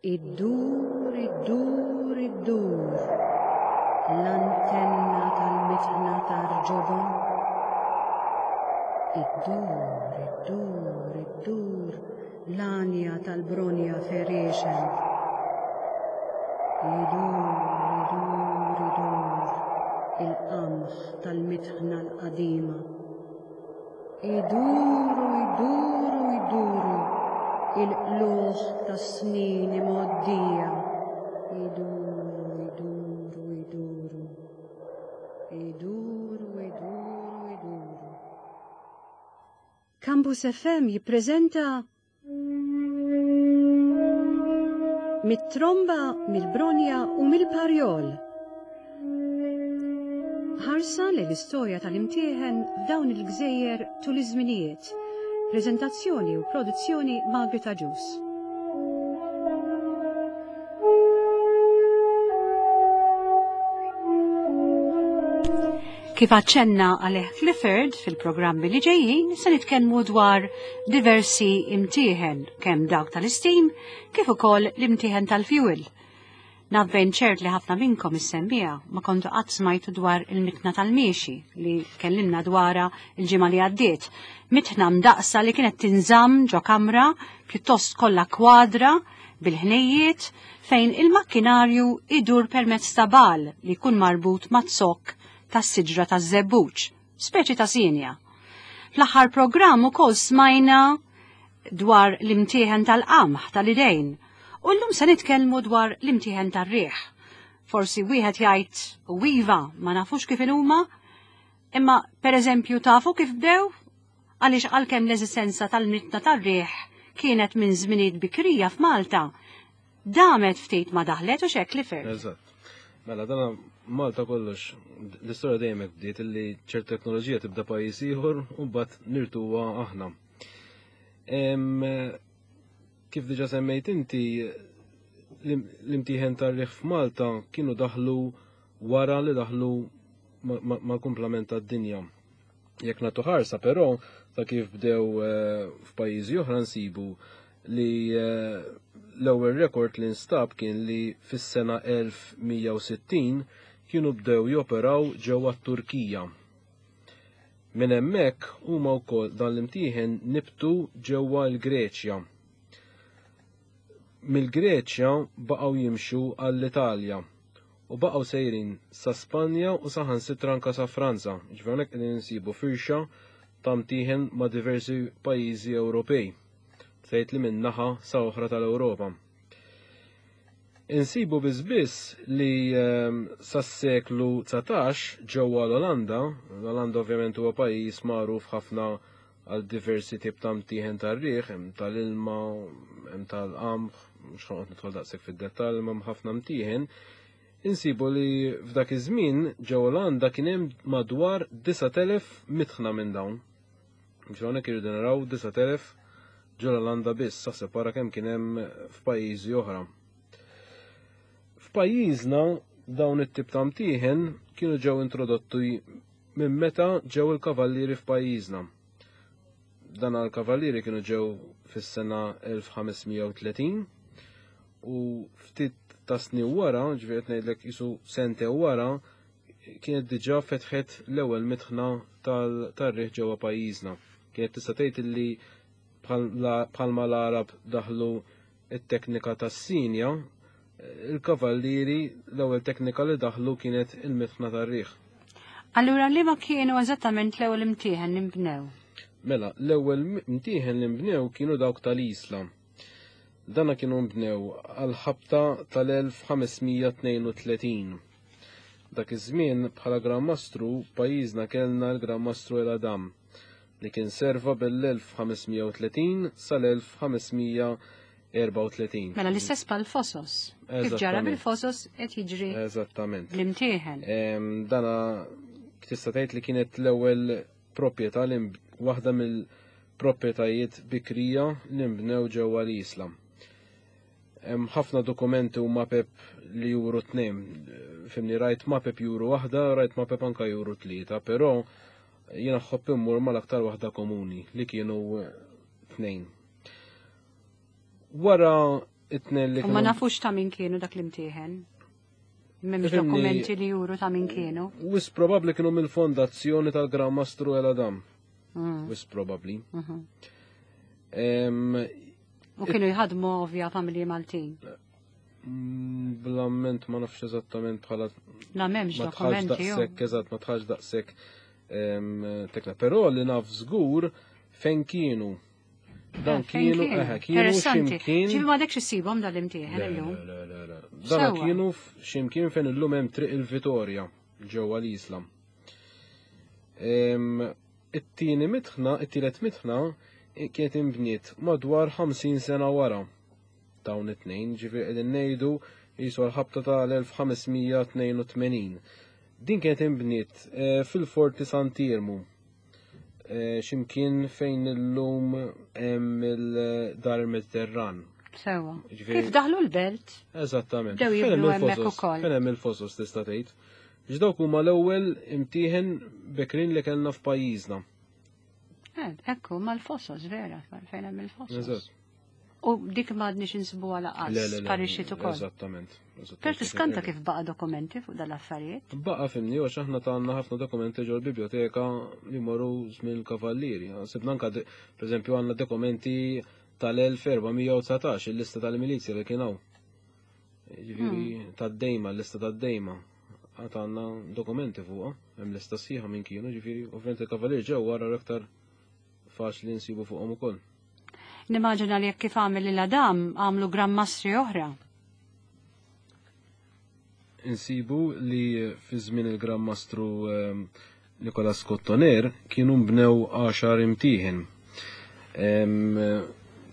Iddur, iddur, iddur, l-antenna tal-mitħna tar-ġobon. Iddur, iddur, iddur, l-għanja tal-bronja ferixen. Idur, idur, idur, il-qamħ tal-mitħna l-qadima. Iduru, iduru, iduru, il-qlugħ tas-snin imgħoddija. Iduru, iduru, iduru. Iduru, iduru, iduru. Campus FM jippreżenta Mit-tromba, mill-bronja u mill-parjol. Ħarsa lejn l-istorja tal-imtieħen f'dawn il-gżejjer tul iż-żminijiet. Preżentazzjoni u produzzjoni Margaret Agius. Kif aċċenna għalih Clifford fil-programmi li ġejjin se nitkellmu dwar diversi imtieħen kemm dawk tal-istim kif ukoll l-imtieħen tal-fuel. Naf bejn ċert li ħafna minnkom is-semmija ma kontu qatt smajtu dwar il-mitna tal-miexi li tkellimna dwarha l-ġimgħa li għaddiet. Mitħna mdaqsa li kienet tinżamm ġo kamra pjuttost kollha kwadra bil-ħnejjiet fejn il-makkinarju idur permezz ta' bal li jkun marbut ma' zokk tas-siġra taż-żebbuġ, speċi ta' sienja. Fl-aħħar programm ukoll smajna dwar l-imtieħen tal-qamħ tal-idejn u llum se nitkellmu dwar l-imtieħen tar-riħ. Forsi wieħed jgħid u iva ma nafux kif inhuma, imma pereżempju tafu kif bdew? Għaliex għalkemm l-eżistenza tal-mitna tar-riħ kienet minn żminijiet bikrija f'Malta, damet ftit ma daħlet u xek Clifford. Eżatt. Mela dana Malta kollox, l-istorja dejjem hekk bdiet illi ċert teknoloġija tibda pajjiż ieħor u mbagħad nirtuha aħna. Kif diġa semmejt inti, l-imtieħen tar-riħ f'Malta kienu daħlu wara li daħlu mal-kumplament tad-dinja. Jekk nagħtu ħarsa però ta' kif bdew eh, f'pajjiżi oħra nsibu li eh, l-ewwel rekord li nstab kien li fis-sena 1160 kienu bdew joperaw ġewwa t-Turkija. Minn hemmhekk huma wkoll dan l-imtieħen nibtu ġewwa l-Greċja. Mill-Greċja baqgħu jimxu għall-Italja u baqgħu sejrin sa Spanja u saħansitra anke sa Franza. Ġifieri hawnhekk qegħdin insibu firxa ta' mtieħen ma' diversi pajjiżi Ewropej. Tgħid li minn naħa sa oħra tal-Ewropa. Insibu biss biss li ehm, sas-seklu 19 ġewwa l-Olanda, l-Olanda ovvjament huwa pajjiż magħruf ħafna għal diversi tip ta' mtieħen tar-riħ, hemm tal-ilma, hemm tal-qamħ, mhux ħanoqgħod nidħol daqshekk fid-dettall, imma hemm ħafna mtieħen. Insibu li f'dak iż-żmien ġewwa Olanda kien hemm madwar 9000 mitħna minn dawn. Ġo hawnhekk irridu naraw 9000 ġo l-Olanda biss, saħseb wara kemm kien hemm f'pajjiżi oħra. F'pajjiżna dawn it-tip ta' mtieħen kienu ġew introdotti minn meta ġew il-kavallieri f'pajjiżna. Dan għal-kavallieri kienu ġew fis-sena 1530 u ftit ta' snin wara, ġifieri qed ngħidlek isu sente wara, kienet diġà fetħet l-ewwel mitħna tar-riħ ġewwa pajjiżna. Kienet tista' tgħid illi bħalma l-Għarab daħlu t-teknika tas-sinja, il-kavallieri l-ewwel teknika li daħlu kienet il-mitħna tar-riħ. Allura liema kienu eżattament l-ewwel imtieħen li nbnew? Mela, l-ewwel imtieħen li nbnew kienu dawk tal-Isla. Dana kienu nbnew għall-ħabta tal-1532. Dak iż-żmien bħala Gran Mastru pajjiżna kellna l-Gran Mastru El Adam li kien serva bel-1530 sal-1534. Mela l-istess bħall-fosos. Kif ġara bil-fosos qed jiġri. Eżattament. L-imtieħen. Dana tista' tgħid li kienet l-ewwel proprjetà li waħda mill-proprjetajiet bikrija li nbnew ġewwa l-Isla. Hemm ħafna dokumenti u mapep li juru tnejn. Fimni rajt mapep juru waħda, rajt mapep anka juru tlieta, però jiena ħobb immur mal-aktar waħda komuni li kienu tnejn. Wara It-tnejn li U ma nafux ta' min kienu dak l-imtieħen. M'hemmx dokumenti li juru ta' min kienu. Wis probabbli kienu mill-fondazzjoni tal-Gran Mastru El Adam. Wis probabbli. U kienu jħadmu ovvja familji Maltin. Bl-amment ma nafx eżattament bħala. La m'hemmx dokumenti. Daqshekk eżatt ma tħax daqshekk tekna. Però li naf żgur fejn kienu. Dan kienu, eħe, kienu ximkien. Ġifi ma dekx issibhom dal-imtieħen illum. Le, le, le. Dan kienu ximkien fejn illum hemm triq il-Vitorja ġewwa l-Isla. It-tieni mitħna, it-tielet mitħna kienet inbniet madwar 50 sena wara dawn it-tnejn, ġifieri qegħdin ngħidu qisu għall-ħabta tal-1582. Din kienet inbniet fil-Forti Sant'Iermu. Ximkien fejn illum hemm il-Dar il-Mediterran. Sewa. Kif daħlu l-belt? Eżattament. Dew jibnu hemmhekk ukoll. Fejn hemm il-fosos tista' tgħid. X'dawk huma l-ewwel imtieħen bekrin li kellna f'pajjiżna. Ekku, mal-fosos vera, fejn hemm il-fosos. Eżatt. U dik m'għadniex insibuha laqas, sparixxiet ukoll. Eżattament. Per tiskanta kif baqa' dokumenti fuq dal-affarijiet? Baqa' fimni, għax aħna għandna ħafna dokumenti ġol biblioteka li morru żmien il-kavallieri. Sibna anka, per eżempju, għandna dokumenti tal-1419, il-lista tal-milizja li kien hawn. Ġifieri tad-dejma, l-lista tad-dejma. Għad għandna dokumenti fuqha, hemm lista sħiħa minn kienu, ġifieri, ovvjament il-kavallieri ġew wara l-aktar faċli nsibu fuqhom ukoll. Nimmaġina li jekk kif għamel lil Adam għamlu gran mastri oħra. Insibu li fi żmien il-Gran Mastru Nicolas Cottoner kienu nbnew 10 imtieħen.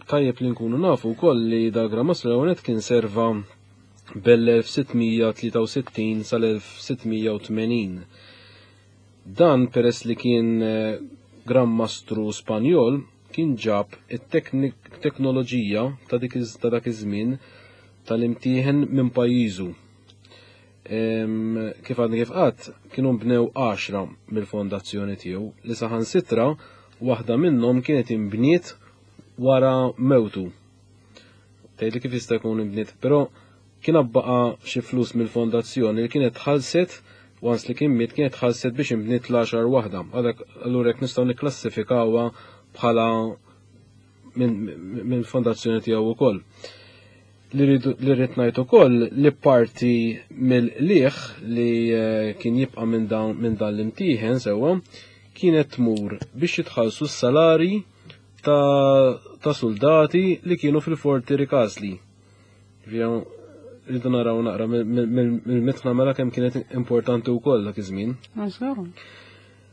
Tajjeb li nkunu nafu wkoll li dal-Gran Mastru l-ewwel kien serva bell-1663 sal-1680. Dan peress li kien Gran Mastru Spanjol kien ġab it-teknoloġija ta' dik ta' dak iż-żmien tal-imtieħen minn pajjiżu. Kif għadni kif qatt, kienu nbnew 10 mill-fondazzjoni tiegħu li saħansitra waħda minnhom kienet inbniet wara mewtu. Tgħidli kif jista' jkun inbniet, però kien baqa' xi flus mill-fondazzjoni li kienet tħallset once li kien miet kienet tħallset biex inbniet l-10 waħda. Għalhekk allura jekk nistgħu nikklassifikawha bħala minn fondazzjoni tiegħu wkoll. Li rrid ngħid ukoll li parti mill-qligħ li kien jibqa' minn dan l-imtieħen sewwa kienet tmur biex jitħallsu s-salari ta' soldati li kienu fil-Forti Ricasli. Rridu naraw naqra mill-mitħna mela kemm kienet importanti wkoll dak iż-żmien.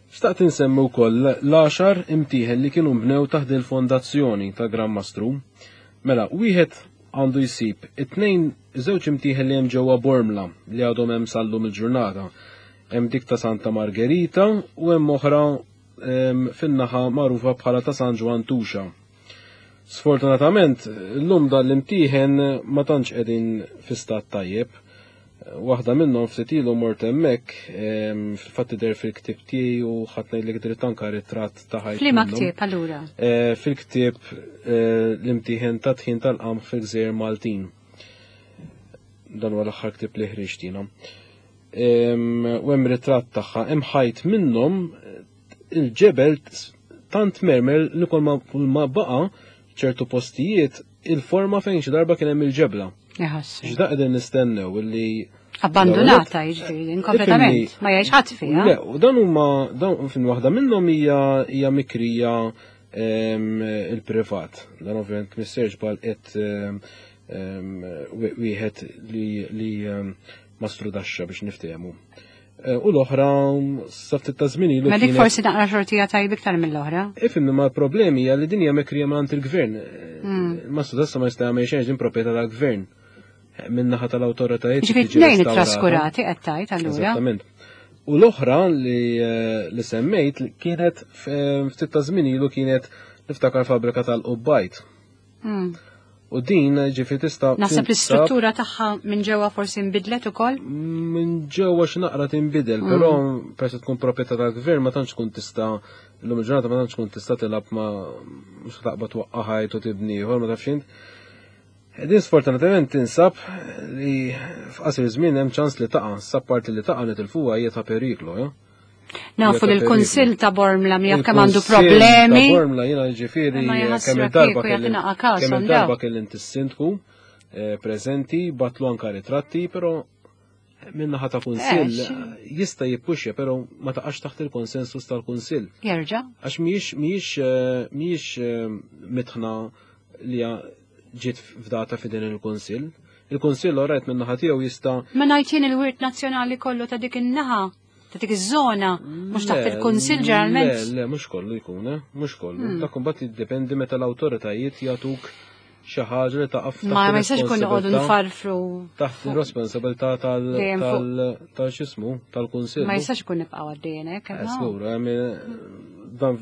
Xtaqt insemmi wkoll l-għaxar imtieħen li kienu nbnew taħt il-fondazzjoni ta' Gran Mastru. Mela, wieħed għandu jsib it-tnejn żewġ imtieħen li hemm ġewwa Bormla li għadhom hemm sal-lum il-ġurnata. Hemm dik ta' Santa Margherita u hemm oħra fin-naħa magħrufa bħala ta' San Ġwann Tuxa. Sfortunatament, llum dan l-imtieħen ma tantx qegħdin fi stat tajjeb. Waħda minnhom ftit ilu mort hemmhekk, fil-fatt tidher fil-ktieb tiegħi u ħadd ngħidlek dritt anka ritratt ta' ħajt. F'liema ktieb allura? Fil-ktieb l-imtieħen ta' tħin tal-qamħ fil-Gżejjer Maltin. Dan huwa l-aħħar ktieb li ħriġt jiena. U hemm ritratt tagħha, hemm ħajt minnhom il-ġebel tant mermer li kull ma baqa ċertu postijiet il-forma fejn xi darba kien hemm il-ġebla. X'da qegħdin nistennew illi abbandonata jiġifieri kompletament ma jgħix ħadd fiha. Le, u dan huma dan fin waħda minnhom hija mikrija il-privat. Dan ovvjament missierx bal qed wieħed li mastru daxxa biex niftehmu. U l-oħra sa ftit ta' żmien ilu. Ma dik forsi naqra xortija tajb iktar mill-oħra. Ifhem ma l-problemi hija li din hija mikrija mingħand il-gvern. Mastru daxxa ma jista' jagħmel xejn din proprjetà tal-gvern. Min-naħa tal-awtoritajiet. Ġifieri tnejn ittraskurati qed tgħid allura. Eżattament. U l-oħra li semmejt kienet ftit ta' żmien ilu kienet niftakar fabbrika tal-qubbajt. U din ġifi tista' Naħseb l-istruttura tagħha minn ġewwa forsi nbidlet ukoll? Minn ġewwa xi naqra tinbidel, però peress tkun proprjetà tal-gvern ma tantx tkun tista' illum il-ġurnata ma tantx tkun tista' tilgħab ma mhux taqbad twaqqa' ħajt u tibni ieħor ma tafx int. Din sfortunatament tinsab li f'qasir żmien hemm ċans li taqa', sa parti li taqa' nitilfuha hija ta' periklu, eh? Nafu li l-Kunsill ta' Bormla mi kemm għandu problemi. Ta' Bormla jiena ġifieri kemm il-darba kemm il-darba kelli sindku eh, preżenti batlu anka ritratti, però minnaħa ta' kunsill eh, jista' jippuxja, però ma taqax taħt il-konsensus tal-kunsill. Jerġa'. Għax mhijiex mhijiex eh, mhijiex mitħna li ġiet fdata f'idejn il-Kunsill. Il-Kunsill orajt minn naħa tiegħu jista' Ma ngħid jien il-wirt nazzjonali kollu ta' dik in-naħa, ta' dik iż-żona, mhux taħt il-Kunsill ġeneralment. Le, le, mhux kollu jkun, eh, mhux kollu. Hmm. Dak imbagħad jiddependi meta l-awtoritajiet jagħtuk xi ħaġa li taqaf Ma ma jistax ikun noqogħdu nfarfru. Taħt ir-responsabilità tal tal x'ismu tal-Kunsill. Ma jistax ikun nibqgħu għaddejjin hekk. Eh, żgur, dan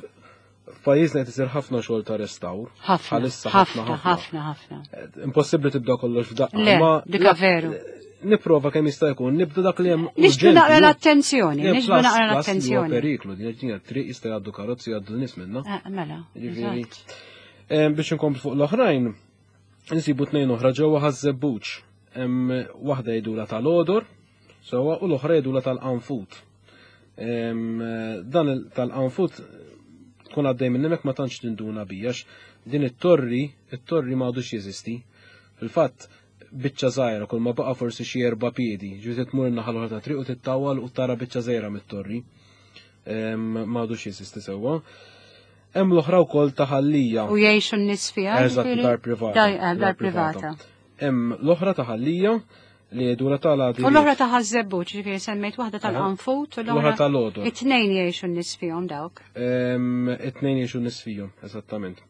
F'pajjiżna qed isir ħafna xogħol ta' restawr. Ħafna, ħafna, ħafna, ħafna. Eh, impossibbli tibda kollox f'daqqa. Le, dika veru. Nipprova kemm jista' jkun, nibda dak li hemm. Nixbdu naqra l-attenzjoni, nixbdu naqra l-attenzjoni. Periklu, din ġdina triq jista' jgħaddu karozzi jgħaddu nies minna. Eh, mela. Ġifieri. Eh, biex inkomplu fuq l-oħrajn, nsibu tnejn oħra ġewwa ħaż-żebbuġ. Hemm waħda jgħidula tal-odor, sewwa u l-oħra jgħidula tal-qanfut. Dan tal-qanfut tkun għaddej minn hemmhekk ma tantx tinduna bija din it-torri, it-torri ma għadux jeżisti. Fil-fatt, biċċa żgħira kull ma baqa' forsi xi erba' piedi, ġifieri tmur in-naħa l-oħra ta' triq u tittawal u tara biċċa żgħira mit-torri. Ma għadux jeżisti sewwa. Hemm l-oħra wkoll ta' ħallija. U jgħixu n-nies fiha? Eżatt, dar privata. Eh, dar privata. Hemm l-oħra ta' ħallija li jgħidula tal-għadi. U l-oħra ta' ħażebbuġ, ġifieri semmejt waħda tal-qanfut u l-oħra tal-għodu. It-tnejn jgħixu n-nies fihom dawk. It-tnejn jgħixu n-nies fihom, eżattament.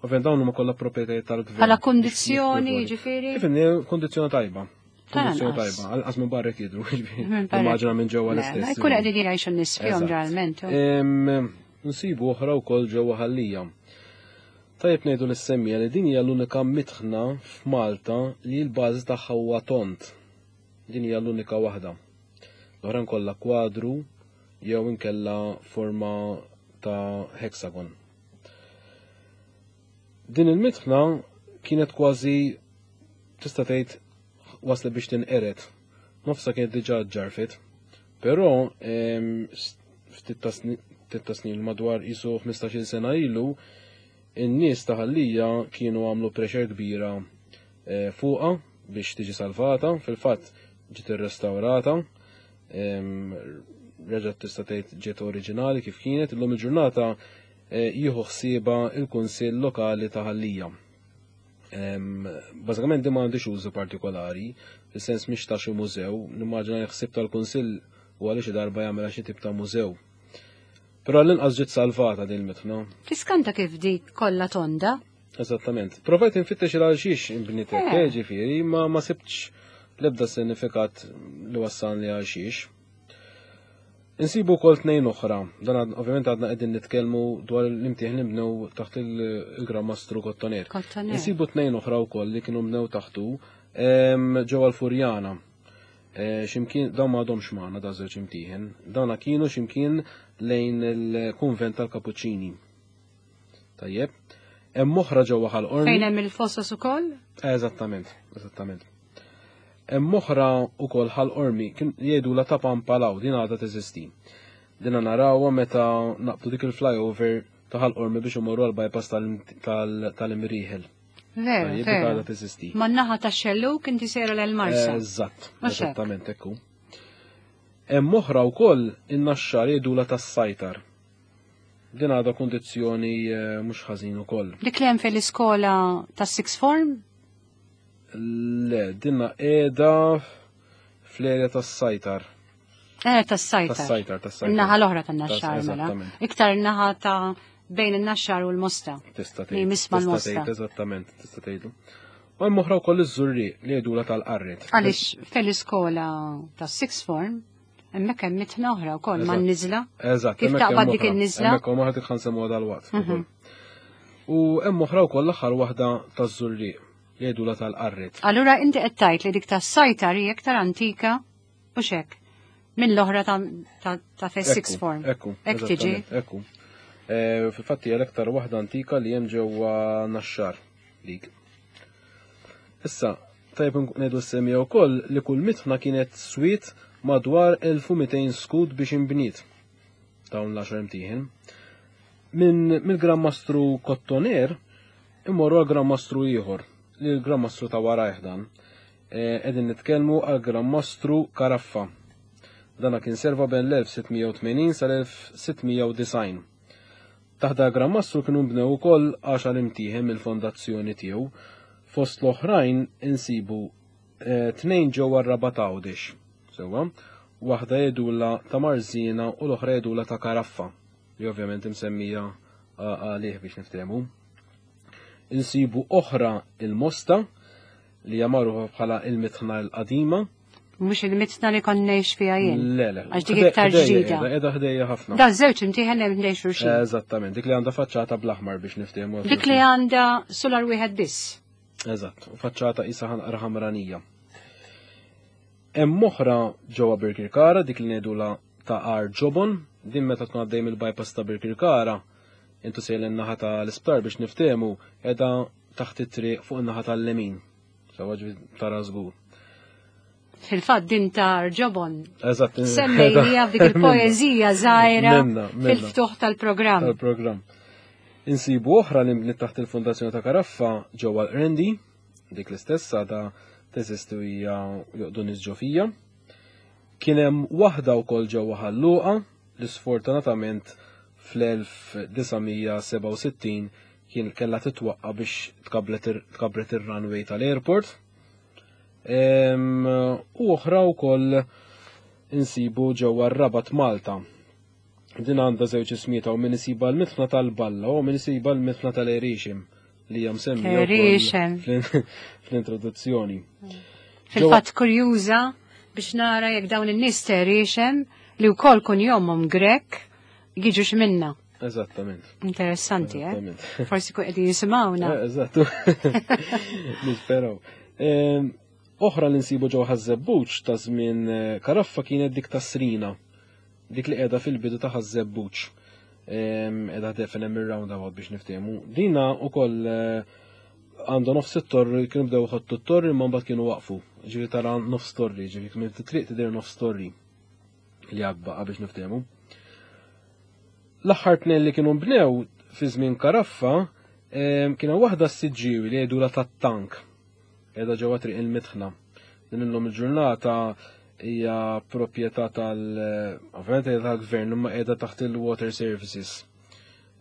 Ovvjament dawn huma kollha proprjetajiet tal-gvern. Bħala kundizzjoni, ġifieri? Kif kundizzjoni tajba. Kundizzjoni tajba, għalqas minn barra jidru, immaġina minn ġewwa l-istess. Jkun qegħdin jgħixu n-nies fihom ġeneralment. Nsibu oħra wkoll ġewwa ħallija. Tajjeb ngħidu lis-semmiegħa li din hija l-unika mitħna f'Malta li l-bażi tagħha huwa tond. Din hija l-unika waħda. L-oħrajn kollha kwadru jew inkella forma ta' hexagon. Din il-mitħna kienet kważi tista' tgħid waslet biex tinqered. Nofsa kienet diġà ġarfet. Però ftit ta' snin madwar isu 15-il sena ilu, in-nies ta' Ħal-Lija kienu għamlu pressure kbira eh, fuqha biex tiġi salvata, fil-fatt ġiet irrestawrata, reġgħet tista' tgħid ġiet oriġinali kif kienet, illum il-ġurnata eh, jieħu ħsieba il-Kunsill Lokali ta' Ħal-Lija. Bażikament din ma għandix użu partikolari, fis-sens mhix ta' xi mużew, nimmaġina li ħsieb tal-Kunsill u għaliex xi darba jagħmilha xi tip ta' mużew. Però l-inqas ġiet salvata din il-mitħna. Tiskanta kif dik kollha tonda. Eżattament. Provajt infittex il għal xiex inbniet hekk, eh. eh, ġifieri, ma ma sibtx l-ebda sinifikat li wassalni għal xiex. Insibu wkoll tnejn oħra, dan ovvjament għadna qegħdin nitkellmu dwar l-imtieħ li nbnew taħt il-Gran Mastru Kottoner. Insibu tnejn oħra wkoll li kienu bnew taħtu ġewwa l-Furjana. E, ximkien dawn ma għadhomx magħna da żewġ imtieħen. Dawna kienu ximkien lejn il-kunvent tal-Kapuċċini. Tajjeb. Hemm oħra ġewwa Ħal Qormi. Fejn hemm il-fossos ukoll? Eżattament, eżattament. Hemm oħra wkoll Ħal Qormi kien jgħidulha ta' Pampalaw din għadha teżisti. Dinha narawha meta naqbdu dik il-flyover ta' Ħal Qormi biex imorru għal bypass tal-Imrieħel. Veru, veru. Għadha teżisti. Man-naħa tax-xellug inti sejra lejn Marsa. Eżatt, eżattament hekk hu. Hemm oħra wkoll in-Naxxar jgħidulha tas-Sajtar. Din għadha kundizzjoni eh, mhux ħażin ukoll. Dik li hemm fil-iskola tas-sixth form? Le, dinna qiegħda fl-erja tas-sajtar. Eh, tas-sajtar. Tas-sajtar, tas-sajtar. Naħa l-oħra tan-naxxar mela. Iktar naħa ta' bejn in-naxxar u l-mosta. Tista' tgħid. Misma l-mosta. Eżattament, tista' tgħidu. U hemm oħra wkoll iż-żurri li jgħidula tal-qarret. Għaliex fil-iskola tas-sixth form Hemmhekk hemm mitħna oħra wkoll man-niżla. Eżatt. Kif taqbad dik in-niżla? Hemmhekk hemm oħra dik ħansemmuha dalwaqt. Mhm. U hemm oħra wkoll l-aħħar waħda taż-Żurrieq li jgħidulha tal-Qarret. Allura inti qed tgħid li dik tas-sajtar hi aktar antika u xek minn l-oħra ta' fes six form. Ekku. Hekk tiġi. Ekku. Eh, fil-fatt hija l-aktar waħda antika li hemm ġewwa Naxxar dik. Issa, tajb ngħidu semmija wkoll li kull mitħna kienet swiet madwar 1200 skud biex inbniet dawn l-għaxar imtieħen. Minn mill-Gran Mastru Kottoner immorru għal Gran Mastru ieħor, li l-Gran Mastru ta' warajh dan. Qegħdin nitkellmu għal Gran Mastru Caraffa. Dana kien serva bejn l-1680 sal-1690. Taħt dal Gran Mastru kienu nbnew ukoll għaxar imtieħen mill-fondazzjoni tiegħu. Fost l-oħrajn insibu tnejn ġewwa r-Rabat Għawdex. Sewwa, waħda jgħidulha ta' Marżina u l-oħra jgħidulha ta' Karaffa, li ovvjament imsemmija għalih biex niftehmu. Insibu oħra il-Mosta, li hija magħrufa bħala il-Mitħna l-Qadima. Mhux il-mitħna li kont ngħix fiha jien. Le, le. Għax dik iktar ġdida. Qiegħda ħdejja ħafna. Da żewġ imtieħen hemm ħdejn xulxin. Eżattament, dik li għandha faċċata bl-aħmar biex niftehmu. Dik li għandha solar wieħed biss. Eżatt, u faċċata qisha ħanqra ħamranija. Hemm oħra ġewwa Birkirkara, dik li ngħidulha ta' Għar Ġobon, din meta tkun għaddej mill-bypass ta' Birkirkara, intu sejl in-naħa ta' l-isptar biex niftehmu, qiegħda taħt it-triq fuq in-naħa tal-lemin. Sewwa ġifieri tara żgur. Fil-fatt din ta' Għar Ġobon. Eżatt. Semmejnija f'dik il-poeżija żgħira fil-ftuħ tal-programm. Tal-programm. Insibu oħra li nbniet taħt il-Fondazzjoni ta' Caraffa ġewwa l-Qrendi, dik l-istess għadha teżisti u hija joqdu nies ġo fija. Kien hemm waħda wkoll ġewwa Ħal Luqa li sfortunatament fl-1967 kien kellha titwaqqa biex tkabbret ir-runway tal-airport. U oħra wkoll insibu ġewwa r-Rabat Malta. Din għandha żewġ ismijiet hawn min isibha l-mitħna tal-Balla u min isibha l-mitħna tal-Erixem li hija msemmija fl-introduzzjoni. Fil-fatt kurjuża biex nara jekk dawn in-nies ta' li wkoll kun jomhom Grek jiġux minna. Eżattament. Interessanti, eh? Forsi kun qegħdin jisimgħuna. Eh, eżatt. Nisperaw. Ehm, oħra li nsibu ġewwa Ħaż-Żebbuġ ta' żmien eh, Karaffa kienet dik ta' Srina. Dik li qiegħda fil-bidu ta' Ħaż-Żebbuġ. Qiegħda ħdejn hemm ir-roundabout biex niftehmu. Dina wkoll eh, għandha nofs it-torri, kienu bdew iħottu t-torri imma mbagħad kienu waqfu. Ġifieri tara nofs torri, ġifieri minn triq tidher nofs torri li għad biex niftehmu. L-aħħar tnejn li kienu nbnew fi żmien Karaffa kienu waħda s-siġġiewi li jgħidula tat-tank. Qiegħda ġewwa triq il-Mitħna. Din illum il-ġurnata hija proprjetà tal ovvjament hija tal-gvern imma qiegħda taħt il-Water Services.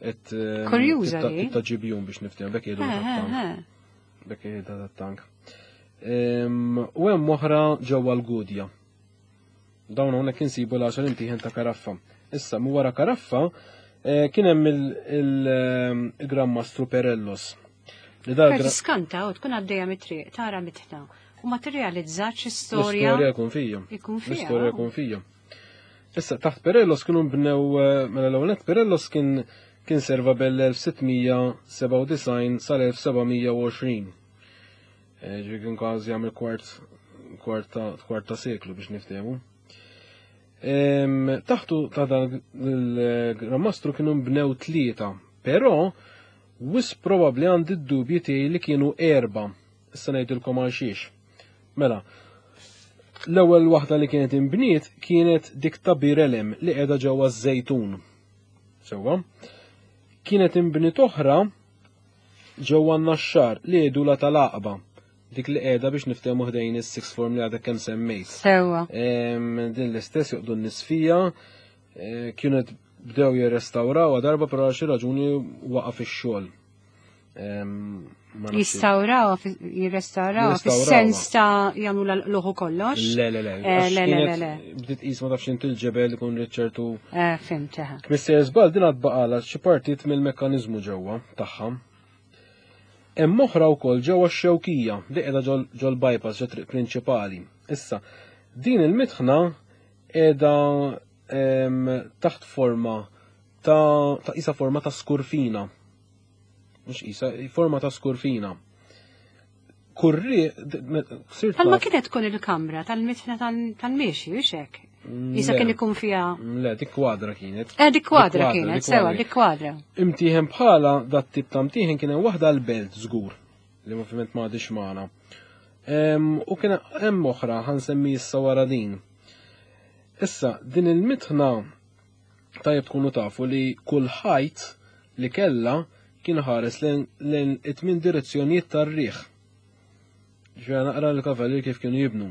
Et ehm, Kurjuża li. Ta' ġibjun biex niftehmu bekk jgħidu tat-tank. Bekk jgħidu tat-tank. Ehm, u hemm oħra ġewwa l-Gudja. Dawn hawnhekk insibu l-għaxar imtieħen ta' Karaffa. Issa, mu wara Karaffa eh, kien hemm il-Gran Mastru Perellos. Li dar Tiskanta u tkun għaddejja mit-triq, tara mitħna. U ma tirrealizzax istorja. L-istorja jkun fija. Ikun fija. L-istorja jkun fija. Issa, taħt Perellos kienu bnew, eh, mela l-ewwel Perellos kien kien serva bell-1697 sal-1720. Eh, ġifieri kien kważi jagħmel kwart kwart ta' seklu biex niftehmu. Taħtu ta' dan il-Gran Mastru kienu nbnew tlieta, però wis probabbli għandi d-dubji tiegħi li kienu erba. Issa ngħidilkom għal xiex. Mela, l-ewwel waħda li kienet inbniet kienet dik ta' Birelem li qiegħda ġewwa ż-Żejtun. Sewwa. Kienet inbniet oħra ġewwa n-Naxxar li jgħidulha tal-Għaqba, dik li qiegħda biex niftehmu ħdejn is-sixth form li għadek kemm semmejt. Sewwa. Din l-istess joqdu n-nies fija, eh, kienet bdew jirrestawrawha darba però għal xi raġuni waqaf ix-xogħol. Jistawraw, jirrestawraw, fis-sens ta' jagħmlu l-luħu kollox. Le, le, le. Eh, le, le, le. Bdiet qis ma tafx inti l-ġebel ikun ċertu. Eh, fimt, eh. Mister Żball din għad baqala xi partit mill-mekkaniżmu ġewwa tagħha. Hemm oħra wkoll ġewwa x-Xewkija li qiegħda ġol bypass ġo triq prinċipali. Issa, din il-mitħna qiegħda taħt forma ta' isa forma ta' skurfina. Mhux isa, forma ta' skurfina. Kurri, sirt. Palma kienet tkun il-kamra tal-mitħna tal-miexi, biex hekk. Isa kien ikun fiha. Le, dik kwadra kienet. Eh, dik kwadra kienet, sewa, dik kwadra. Imtieħen bħala dat tip ta' mtieħen kien hemm waħda l-belt żgur li ovvjament ma għadix magħna. U kien hemm oħra ħansemmi issa wara din. Issa, din il-mitħna tajjeb tkunu tafu li kull ħajt li kella kien ħares lejn it-tmien direzzjonijiet tar-riħ. Ġifieri naqra l-kavallier kif kienu jibnu.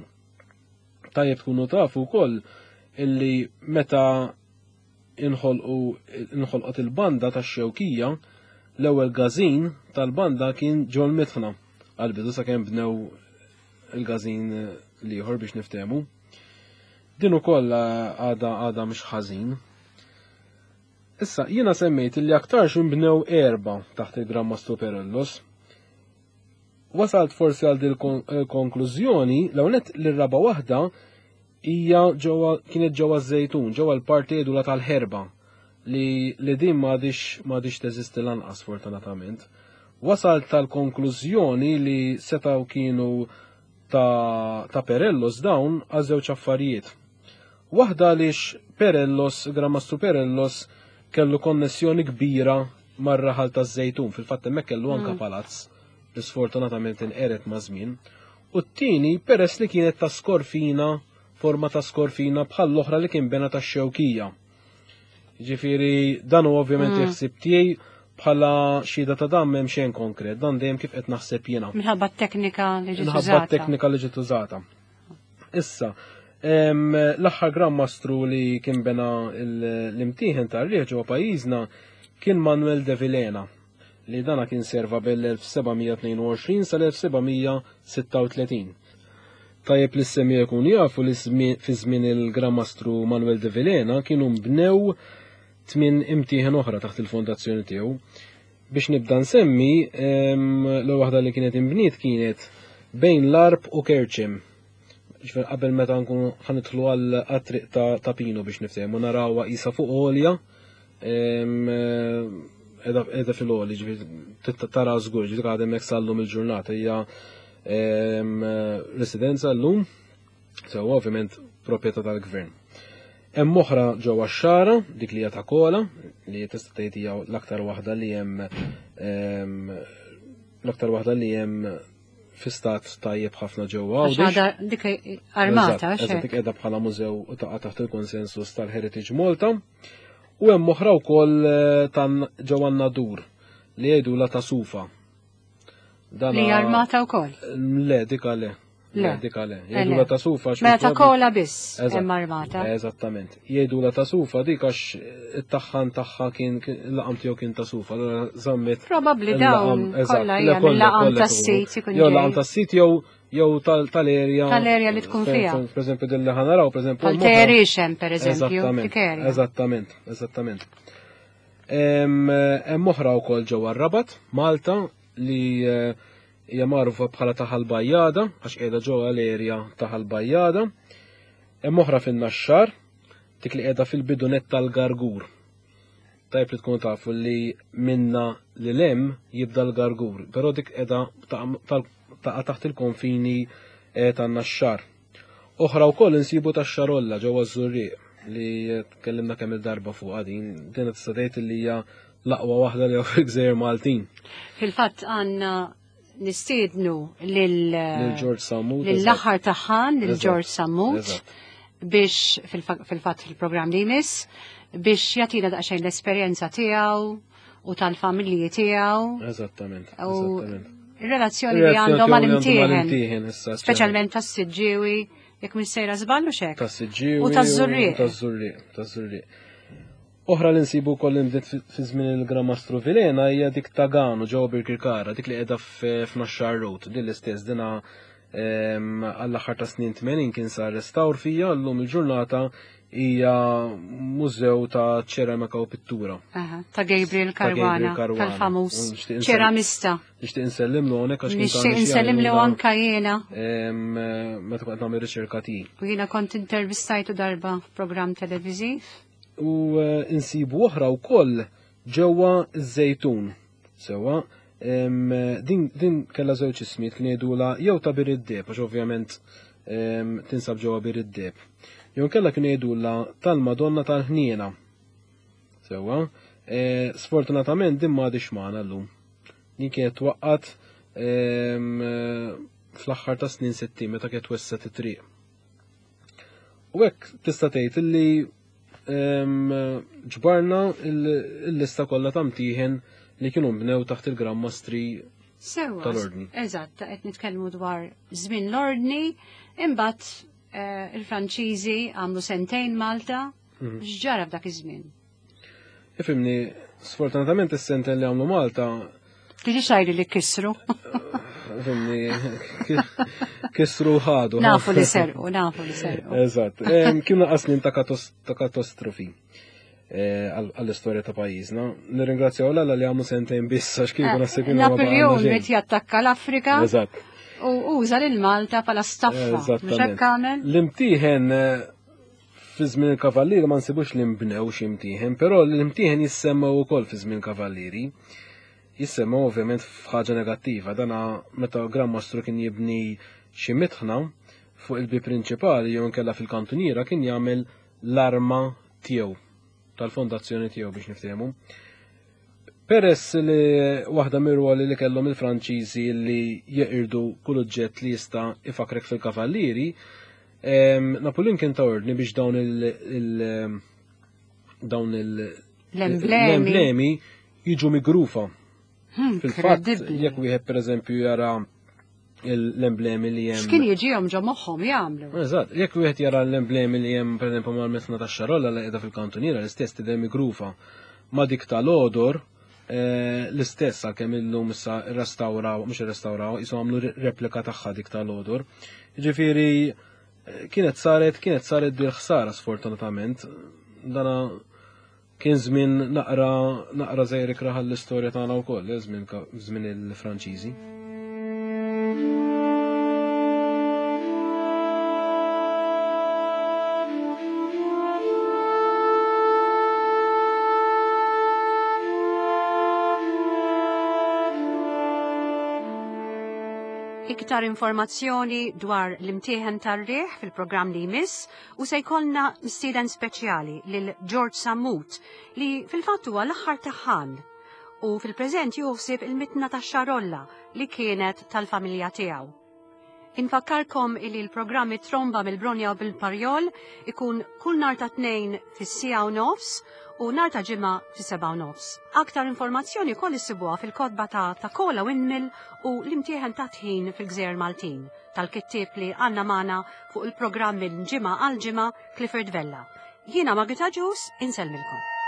Tajjeb tkunu tafu wkoll illi meta inħolqot il-banda tax-Xewkija, l-ewwel gazin tal-banda kien ġol mitħna għal-bidu sakemm bnew il-gazin l-ieħor biex niftehmu. Din ukoll għada għada mhux ħażin. Issa, jiena semmejt li aktarx inbnew erba' taħt il-Gran Mastru Perellos. Wasalt forsi għal dil konklużjoni l-ewwel li r-raba' waħda hija ġewwa kienet ġewwa ż-Żejtun, ġewwa l-parti edula tal-ħerba li li din m'għadix m'għadix teżisti lanqas fortunatament. Wasalt tal-konklużjoni li setgħu kienu ta', ta Perellos dawn għal żewġ affarijiet. Waħda għaliex Perellos, Gran Mastru Perellos, kellu konnessjoni kbira mar-raħal taż-Żejtun, fil-fatt hemmhekk kellu anka palazz li sfortunatament inqered ma' żmien. U t-tieni peress li kienet ta' skorfina, forma ta' skorfina bħal l-oħra li kien bena tax-Xewkija. Ġifieri dan hu ovvjament il-ħsieb tiegħi bħala xhieda ta' dan m'hemm xejn konkret, dan dejjem kif qed naħseb jiena. Minħabba t-teknika li ġiet Minħabba użata. t-teknika li ġiet użata. Issa, l-aħħar Gran Mastru li kien bena l-imtieħen tar-riħ ġewwa pajjiżna kien Manuel de Vilhena, li dana kien serva bel-1722 sal-1736. Tajjeb li s-semmi jkun jafu li fi żmien il-Gran Mastru Manuel de Vilhena kienu mbnew 8 imtieħen oħra taħt il-fondazzjoni tiegħu. Biex nibda nsemmi, l-ewwel waħda li kienet imbniet kienet bejn l-Arb u Kerċem. Ġifier qabel meta nkunu ħanidħlu għal triq ta' Pino biex niftehmu, narawha qisha fuq għolja, edha fil-għoli, ġifier tara żgur, ġifier għadha hemmhekk sal-lum il-ġurnata, hija residenza llum, sewa ovvjament proprjetà tal-gvern. Hemm oħra ġewwa x-Xagħra, dik li hija ta' Kola, li tista' tgħid hija l-aktar waħda li hemm l-aktar waħda li hemm fi stat tajjeb ħafna ġewwa Għax Għawdex. għadha dik armata, Eżatt, xek. dik qiegħda bħala mużew u taqa' taħt il-konsensus tal-Heritage Malta. U hemm oħra wkoll tan ġewwa Nadur li jgħidu la ta' Sufa. Dana Li armata wkoll? Le, dik le. Le. Le, dik le. Le, Jgħidu le. la ta' Sufa għax Mela ta' mill-probi- Kola biss Eżatt. hemm armata. Eżattament. Jgħidu la ta' Sufa dik għax it-taħħan tagħha kien il-laqam tiegħu kien ta' Sufa, allura żammet Probabbli il-laqam, dawn eżatt, kollha le, hija kollha, mill-laqam kollha tas-sit ikunu. ikun Jew laqam ġej. tas-sit jew tal-erja. Tal-erja li tkun Fejn, fiha. fejn, per eżempju, din li ħanaraw, per eżempju, Bħal l-moħra. Terixem, per eżempju, Eżattament, dik erja. eżattament, eżattament. Hemm oħra wkoll ġewwa r-Rabat, Malta, li hija magħrufa bħala ta' Ħal-Bajjada, għax qiegħda ġewwa l-erja ta' Ħal-Bajjada. Hemm oħra fin-Naxxar, dik li qiegħda fil-bidunet tal-Gargur. Tajb li tkunu tafu li minna li lem jibda l-Gargur, però dik qiegħda taqa' taħt il-konfini tan-Naxxar. Oħra wkoll insibu tax-Xarolla ġewwa ż-Żurrieq li tkellimna kemm il-darba fuqha din, din tista' tgħid li hija l-aqwa waħda li hawn fil-Gżejjer Maltin. Fil-fatt għandna nistiednu Lil George Sammut, lill-aħħar taħħan, lil Eżatt. George Sammut, Eżatt. biex fil-fatt fil-programm li jmiss, biex jagħtina daqsxejn l-esperjenza tiegħu u tal-familji tiegħu. Eżattament, U eżattament. ir-relazzjoni li Ir-relazzjoni għandhom tiegħu li għandhom mal-imtieħen. mal-imtieħen, issa, Speċjalment tas-Siġġiewi, jekk minn sejra żballu xek. Tas-Siġġiewi U taż-Żurrieq. u taż-Żurrieq, taż-Żurrieq. Oħra li nsibu wkoll li nbdiet fi żmien il-Gran Mastru Vilhena hija dik ta' Ganu ġewwa Birkirkara, dik li qiegħda f'Naxxar Road, din l-istess dina għall-aħħar ta' snin 80 kien sar restawr fija, llum il-ġurnata hija mużew ta' ċeramika u pittura. Aha, ta' Gabriel Ta' Gabriel Caruana, Caruana. tal-famuż Nixtieq insell- ċeramista. Nixtieq insellimlu hawnhekk għax kien Nixtieq tani xi insellimlu għajnuna, anka jiena. meta kont nagħmel riċerka tiegħi. U jiena kont intervistajtu darba f'programm televiżiv. U insibu oħra wkoll ġewwa ż-Żejtun. Sewwa, din kellha żewġ ismijiet kien jgħidulha jew ta' Bir id-Deheb, għax ovvjament tinsab ġewwa Bir id-Deheb. Jew kellha kien jgħidulha tal-Madonna tal-Ħniena. Sewwa, sfortunatament din m'għadix magħna llum. Din kienet twaqqat fl-aħħar ta' snin 60 meta kienet wesset it-triq. U hekk tista' tgħid illi ġbarna l-lista kollha ta' mtieħen li kienu nbnew taħt il-Gran Mastri tal-Ordni. Eżatt, qed nitkellmu dwar żmien l-Ordni, imbagħad eh, il-Franċiżi għamlu sentejn Malta, mhm. x'ġara f'dak iż-żmien? Ifimni, sfortunatament is-sentejn li għamlu Malta Tiġi xajri li kisru. Ifimni, kisru ħadu. Nafu li serqu, nafu li serqu. Eżatt. Kienu qasnin ta' katastrofi eh, għall-istorja ta' pajjiżna. Nirringrazzjaw l li għamlu sentejn biss għax kieku eh, naħseb kienu. Napoleon qed jattakka l-Afrika. Eżatt. U uża lil Malta bħala staffa. L-imtieħen eh, Fi żmien il-Kavallieri ma nsibux li nbnew xi mtieħen, però l-imtieħen jissemmew ukoll fi żmien Kavallieri. Jissemmew ovvjament f'ħaġa negattiva, dana meta Gran Mastru kien jibni xi mitħna fuq il-bieb prinċipali jew inkella fil-kantuniera kien jagħmel l-arma tiegħu tal-fondazzjoni tiegħu biex niftehmu. Peress li waħda mir-rwoli li kellhom il-Franċiżi li jeqirdu kull oġġett li jista' ifakrek fil-kavallieri, Napoleon kien ta' ordni biex dawn il dawn il l-emblemi jiġu migrufa. Hmm, Fil-fatt, jekk wieħed pereżempju jara l-emblemi li hemm. X'kien jiġihom ġo moħħhom jagħmlu? Eżatt, jekk wieħed jara l-emblemi li hemm pereżempju mal-mesna tax-xarolla li qiegħda fil-kantuniera l-istess tidher migrufa ma' dik tal-odor eh, l-istess għalkemm illum issa rrestawraw, mhux irrestawraw, isu għamlu replika tagħha dik tal-odor. Ġifieri eh, kienet saret, kienet saret dil ħsara sfortunatament. Dana Kien żmien naqra naqra żgħir ikrah għall-istorja tagħna wkoll, eh, żmien żmien il-Franċiżi. Iktar informazzjoni dwar l-imtieħen tar-riħ fil-programm li jmiss U se jkollna mistieden speċjali lil George Sammut li fil-fatt huwa l-aħħar taħħan u fil-preżent juħsib il-mitna tax-xarolla li kienet tal-familja tiegħu. Infakkarkom illi l-programmi Tromba mill-Bronja u bil-Parjol ikun kull nar ta' tnejn fis-siegħa u nofs u nar ta' ġimgħa fis-sebgħa u nofs. Aktar informazzjoni wkoll issibuha fil-kotba ta' Ta' Kola Windmill u l-imtieħen ta' tħin fil-Gżejjer Maltin. tal-kittieb li għandna magħna fuq il-programm minn ġimgħa għal ġimgħa Clifford Vella. Jiena Margaret Agius, insellmilkom.